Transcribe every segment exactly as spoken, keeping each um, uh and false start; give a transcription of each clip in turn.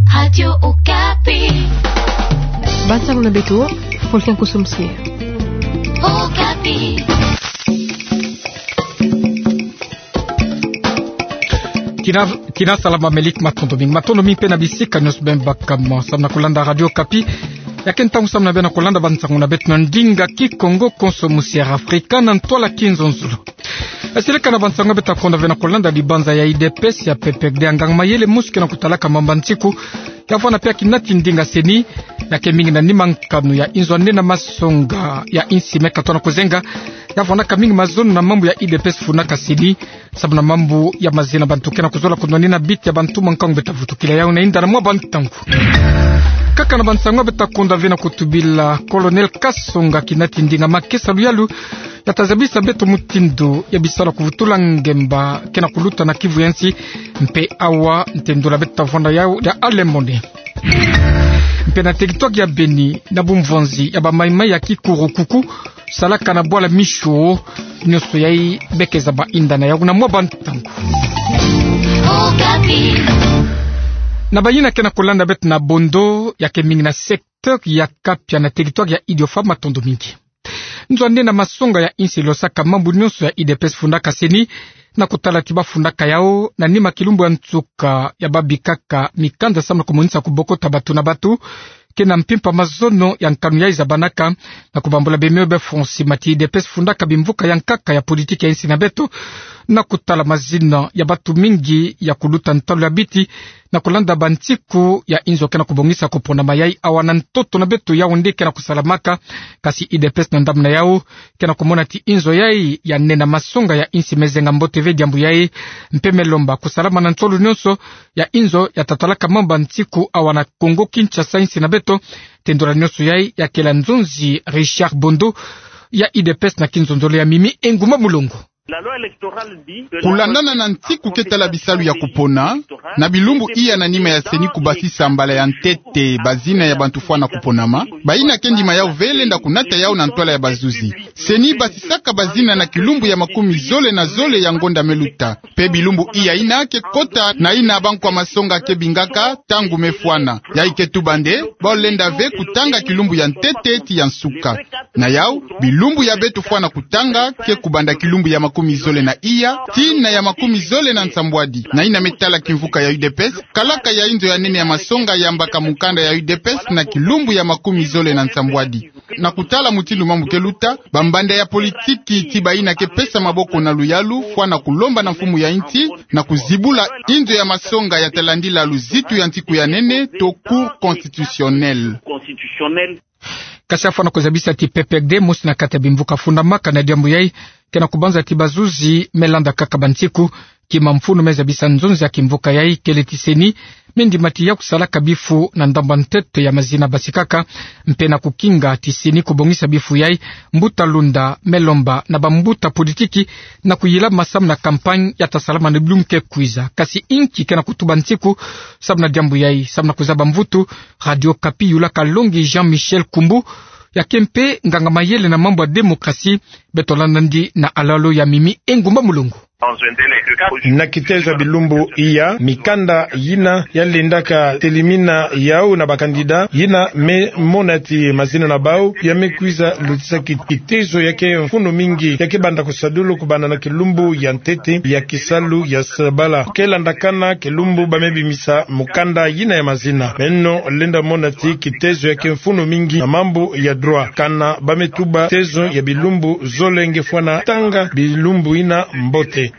Radio Okapi. Bansango na beto, Fulton Kosso Mosia. Okapi. Tina, tina salama, melik, matondo mingi. Matondo mingi mpe na bisika nyonso beno baka mo samu na kolanda Radio Okapi. Ya ke ntangu samu na beno kolanda bansango na beto na ndinga Kikongo, Konso Musiere Afrika, na ntwala Kinzonzolo. Seleka na bansango beto ta konda ve na kolanda, dibanza ya U D P S ya P P R D, nganga mayele mosi ke na kutalaka mambu ya nsiku, ya vwanda pia kinati ndinga CENI, ya ke mingi na nima nkanu ya inzo ya nde na masonga ya insi me katoa na kuzenga, ya vwandaka mingi mazono na mambu ya U D P S fundaka CENI, samu na mambu ya mazina bantu ke na kuzola kunwanina biti ya bantu mwa nkangu beto ta vutukila yau na inda na mwa bantangu. Kaka na bansango beto ta konda ve na kutubila Colonel Kasonga, kinati ndinga makesa luyalu, ya ta zabisa beto mutindu ya bisalu ya kuvutula ngemba ke na kuluta na kivu ya nsi, mpe awa ntendula beto ta vwanda yau ya alemone. Mpe na teritware ya Beni, na bumvonzi ya ba maimai ya Kikurukuku, salaka na bwala Michou, nyonso yai beke zaba inda na yau na mwa bantangu. Na bayina ke na kolanda beto na Bondo, ya ke mingi na secteur ya Kapia na teritware ya Idiofa, matondo mingi. Nzo ya nde na masonga ya insi losaka mambu nyonso ya U D P S fundaka CENI, na kutala ti ba fundaka yau na nima kilumbu ya nsuka ya ba bikaka mikanda samu na kumonisa kubokota batu na batu, ke na mpimpa mazono ya nkanu yai zabanaka, na kubambula bemeo be fonsi mati U D P S fundaka bimvuka ya nkaka ya politiki ya insi na beto, na kutala mazina ya batu mingi ya kuluta ntalu ya biti, na kulanda bansiku ya inzo ke na kubongisa kuponama yai awa na ntoto na beto Yaoundé ke na kusalamaka, kasi U D P S na ndambu na yau ke na kumona ti inzo yai ya nde na masonga ya insi me zenga mbote ve diambu yai, mpe me lomba kusalama na nsolo nyonso ya inzo ya ta talaka mambu ya nsiku awa na Congo Kinshasa, insi na beto. Tendula nyonso yai ya kela nzonzi Richard Bondo ya U D P S na Kinzonzolo ya Mimi Engumba Mulongo. Kulandana na nsiku ke tala bisalu ya kupona, na bilumbu iya na nima ya CENI kubasisa mbala ya ntete bazina ya bantu fwana kuponama, bayina ke ndima yau ve lenda kunata yau na ntwala ya bazuzi. CENI basisaka bazina na kilumbu ya makumi zole na zole ya ngonda me luta. Mpe bilumbu iya yina ke kota na yina bankwa masonga ke bingaka ntangu me fwana. Yai ke tuba nde, bao lenda ve kutanga kilumbu ya ntete ti ya nsuka. Na yau, bilumbu ya beto fwana kutanga ke kubanda kilumbu ya makumi zole na iya tii na ya makumi zole na nsambwadi. Na yina me tala kimvuka ya U D P S, kalaka ya inzo ya nene ya masonga yambaka mukanda ya U D P S na kilumbu ya makumi zole na nsambwadi. Na kutala mutindu mambu ke luta, bambanda ya politiki ti bayina ke pesa maboko na luyalu fwana kulomba na mfumu ya insi na kuzibula inzo ya masonga ya ta landila luzitu ya nsiku ya nene to Cour constitutionnelle. Kasi afwana kuzabisa ti P P R D, mosi na kati ya bimvuka fundamaka na diambu yai, ke na kubanza ti bazuzi me landa kaka bansiku, kima mfunu me zabisa nzonzi ya kimvuka yai kele ti CENI me ndima ti ya kusalaka bifu na ndambu ya ntete ya mazina basikaka, mpe na kukinga ti CENI kubongisa bifu yai, mbuta Lunda me lomba na bambuta politiki na kuyilama samu na campagne ya ta salama na bilumbu ke kwiza. Kasi inki ke na kutuba nsiku samu na diambu yai, samu na kuzaba mvutu, Radio Okapi yula kalongi Jean-Michel Koumbu, ya ke mpe nganga mayele na mambu ya démocratie, beto landa ndi na alalo ya Mimi Engumba Mulongo. Na kitezo ya bilumbu iya, mikanda yina ya lendaka telimina yau na ba candidat, yina me mona ti mazina na bau ya me kwiza lutisa ki-, kitezo ya ke mfunu mingi, ya ke banda kusadulu kubanda na kilumbu ya ntete ya kisalu ya sabala. Ke landakana kilumbu ba me bimisa mukanda yina ya mazina. Meno lenda mona ti kitezo ya ke mfunu mingi na mambu ya droit. Kana ba me tuba tezo ya bilumbu zole nge fwana tanga bilumbu yina mbote.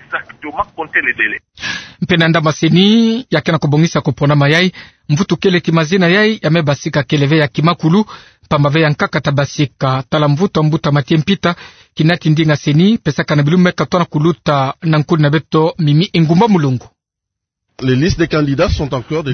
Mpe na ndambu ya CENI, ya ke na kubongisa kuponama yai, mvutu kele ti mazina yai ya me basika kele ve ya kimakulu, mpamba ve ya nkaka ta basika, tala mvutu ya mbuta Mathieu Mpita, kinati ndinga CENI, pesaka na bilumbu me katoa na kuluta na nkuli na beto Mimi Engumba Mulongo.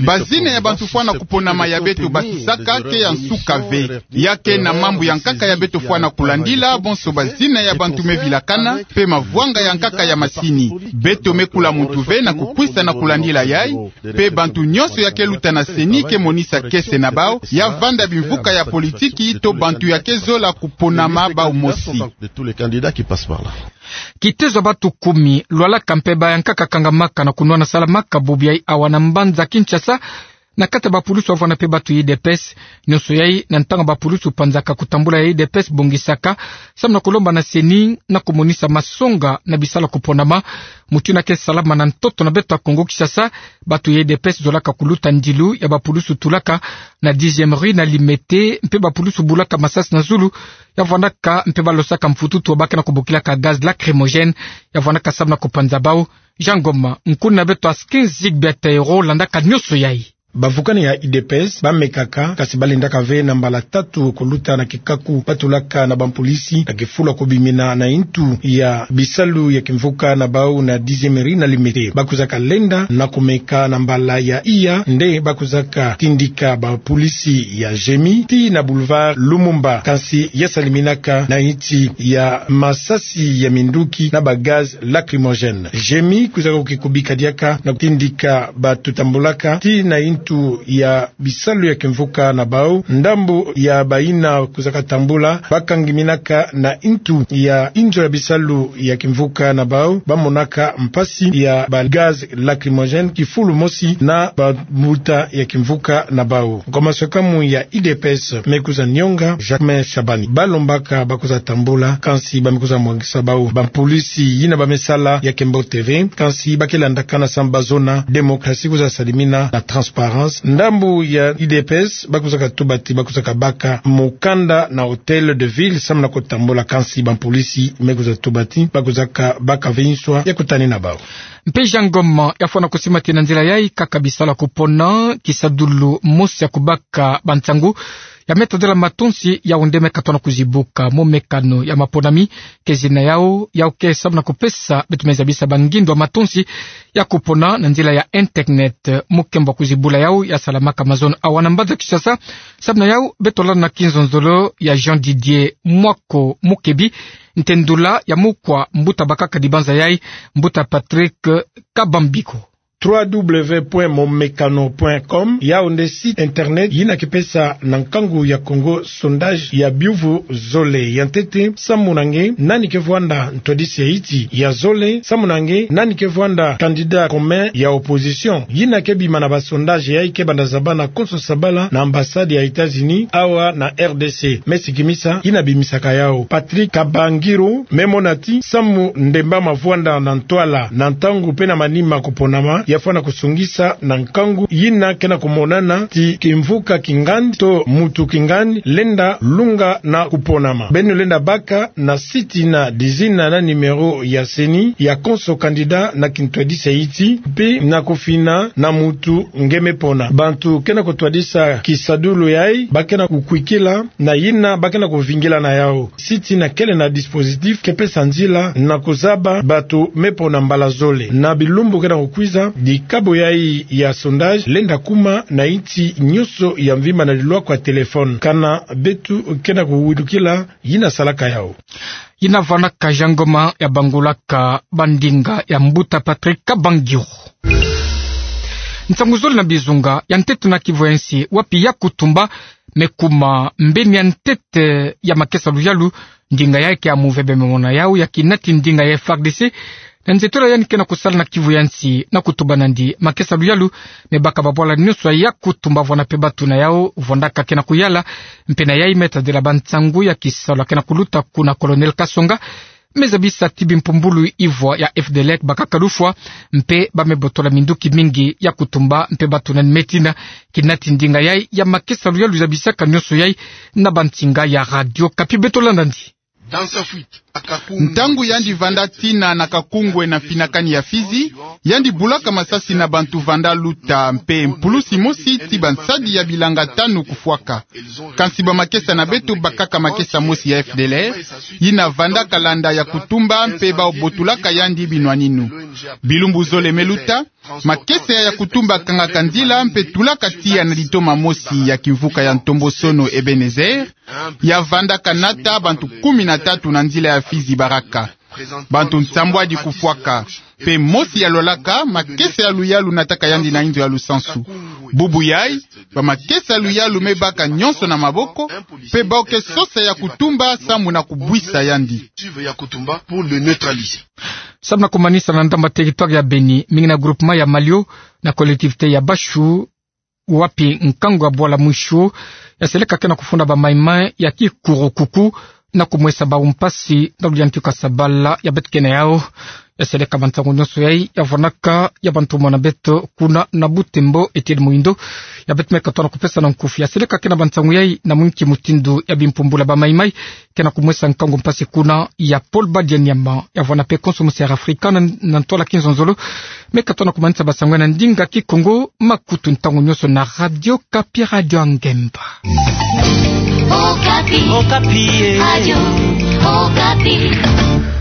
Bazina ya bantu fwana kuponama ya beto basisaka ke ya nsuka ve. Ya ke na mambu ya nkaka ya beto fwana kulandila, bonso bazina ya bantu me vilakana, mpe mavwanga ya nkaka ya masini. Beto me kula muntu ve na kukwisa na kulandila yai, mpe bantu nyonso ya ke luta na CENI ke monisa kiese na bau, ya vanda bimvuka ya politiki to bantu ya ke zola kuponama bau mosi. Kitezo ya bantu kumi, lwalaka mpe baya nkaka kangamaka na kunwana salamaka bubu yai awa na mbanza Kinshasa, Na kati ya bapulusu wavwanda mpe batu ya U D P S, nionso yai na ntangu bapulusu panzaka kutambula ya U D P S bongisaka, samu na kulomba na CENI na kumonisa masonga na bisalu ya kuponama. Mutindu yina ke salama na ntoto na beto ya Kongo-Kinshasa, batu ya U D P S zolaka kuluta ndilu ya bapulusu tulaka na dixième rue na Limete, mpe bapulusu bulaka masasi na zulu ya vwandaka mpe balosaka mfututu wa ba ke na kubokilaka gaz lacrymogène ya vwandaka samu na kupanza bau. Jean Ngoma, nkuna na beto Askin Zigbert Ayero landaka nionso yai. Bavukani ya U D P S bamekaka, kasi balendaka ve na mbala tatu kuluta na kikaku batulaka na bampolisi na kifulu ya kubimina na intu ya bisalu ya kimvuka na bau na dixième rue na Limete. Bakwizaka lenda na kumeka na mbala ya iya nde bakwizaka tindika bampolisi ya GMI tii na boulevard Lumumba, kansi ya saliminaka na inti ya masasi ya minduki na ba gaz lacrymogène. GMI kwizaka kukikubika diaka na kutindika batu tambulaka tii na intu ya bisalu ya kimvuka na bau. Ndambu ya bayina kwizaka tambula bakangiminaka na intu ya inzo ya bisalu ya kimvuka na bau, bamonaka mpasi ya ba gaz lacrymogène kifulu mosi na bambuta ya kimvuka na bau. Nkoma sakamu ya U D P S me kwiza nionga, Jacquemain Shabani. Balombaka bakwiza tambula, kansi ba me kwiza mwangisa bau bampolisi yina ba me sala ya kembote ve, kansi ba ke landakana samu ba zona démocratie kwiza salimina na transparence. Ndambu ya U D P S bakwizaka tuba ti bakwizaka baka mukanda na Hôtel de Ville samu na kutambula, kansi bampolisi me kwiza tuba ti bakwizaka baka ve nswa ya kutanina bau. Mpe Jean Ngoma, ya fwana kusima ti na nzila yai kaka bisalu ya kupona kisadulu mosi ya kubaka bansangu ya me tadila matonsi, yau nde me katona kuzibuka. Momekano ya maponami ke zina yau, yau ke samu na kupesa beto me zabisa bangindu ya matonsi ya kupona na nzila ya internet. Mukembo ya kuzibula yau ya salamaka mazono awa na mbanza Kinshasa. Samu na yau beto landa na kinzonzolo ya Jean Didier Mwako Mukebi, ntendula ya mukwa mbuta bakaka dibanza yai, mbuta Patrick Kabambiko. Trois W point momekano point com, yau nde site internet yina ke pesa na nkangu ya Kongo sondage ya biuvu zole. Ya ntete, samu na nge nani ke vwanda ntwadisi ya iti? Ya zole, samu na nge nani ke vwanda candidat commun ya opposition? Yina ke bima na ba sondage yai ke banda zabana konso sabala na ambassade ya États-Unis awa na R D C. Me sikimisa yina bimisaka yau. Patrick Kabangiro me mona ti samu Ndemba ma vwanda na ntwala na ntangu mpe na manima kuponama, ya fwana kusongisa na nkangu yina ke na kumonana ti kimvuka kingandi to mutu kingandi lenda lunga na kuponama. Beno lenda baka na site na dizina na numéro ya CENI ya konso candidat na kintwadisi ya iti, mpe na kufina na mutu nge me pona. Bantu ke na kutwadisa kisadulu yai ba ke na kukwikila na yina ba ke na kuvingila na yau. Site yina kele na dispositif ke pesa nzila na kuzaba batu me pona mbala zole. Na bilumbu ke na kukwiza, dikabu yai ya sondage lenda kuma na inti nyonso ya mvimba na lilwaku ya téléphone. Kana beto ke na kuwilukila yina salaka yau. Yina vwanaka Jean Ngoma ya bangulaka bandinga ya mbuta Patrick Kabangiro. Nsangu zole na bizunga. Ya ntete na kivu ya nsi, wapi Yakutumba me kuma mbeni ya ntete ya makesa luyalu, ndinga yai ke ya muvebe me mona yau ya kinati ndinga ya F A R D C na nzietolo ya yandi ke na kusala na kivu ya nsi. Na kutumba nandi, makesa luyalu me baka babwala nyonso ya Yakutumba, vwanda mpe batu na yau vwandaka ke na kuyala. Mpe na yai me tadila bansangu ya kisalu ya ke na kuluta kuna. Colonel Kasonga me zabisa ti bimpumbulu ivwa ya F D L R bakaka lufwa, mpe ba me botola minduki mingi ya kutumba, mpe batu nani me tina. Kinati ndinga yai ya makesa luyalu zabisaka nyonso yai na bansinga ya Radio Okapi. Beto landa nandi. Ntangu yandi vanda tina na Kakungwe na finakani ya Fizi, yandi bulaka masasi na bantu vanda luta, mpe mpulusi mosi ti bansadi ya bilanga tanu kufwaka. Kansi bamakesa na beto bakaka makesa mosi ya F D L R, yina vandaka landa Yakutumba mpe bau botulaka yandi binwaninu. Bilumbu zole me luta, makesa ya Yakutumba kangaka nzila mpe tulaka tiya na litoma mosi ya kimvuka ya ntombosono Ebenezer, ya vandaka nata bantu kumi na tatu na nzila ya Fizi Baraka. Bantu nsambwadi kufwaka, mpe mosi ya lwalaka, makesa ya luyalu nataka yandi na inzo ya lusansu. Bubu yai, bamakesa ya luyalu me baka nyonso na maboko, mpe bau ke sosa Yakutumba samu na kubwisa yandi. Samu na kumanisa, na ndambu ya territoire ya Beni, mingi na groupement ya Malio, na collectivité ya Bashu, wapi nkango ya bwala mwisho ya seleka ke na kufunda bamaimai ya kikuru kuku na kumwesa bau mpasi na luliani tiokasabala ya beto kena yau. Ya seleka bansangu nyonso yai ya vwanaka ya bantumwa na beto kuna na Butembo, Etienne Muhindo ya beto me katoa na kupesa na nkufi. Ya seleka ke na bansangu yai na mwinki mutindu ya bimpumbula bamaimai ke na kumwesa nkango mpasi kuna. Ya Paul Badianyama ya vwana pe konso musi Air Africa na, na ntwala kinzonzolo, me katoa na kumanisa bansangu yai na ndinga Kikongo. Makutu ntangu nyonso na Radio Okapi, Radio ya Ngemba. Okapi. Okapi, eh. Radio Okapi.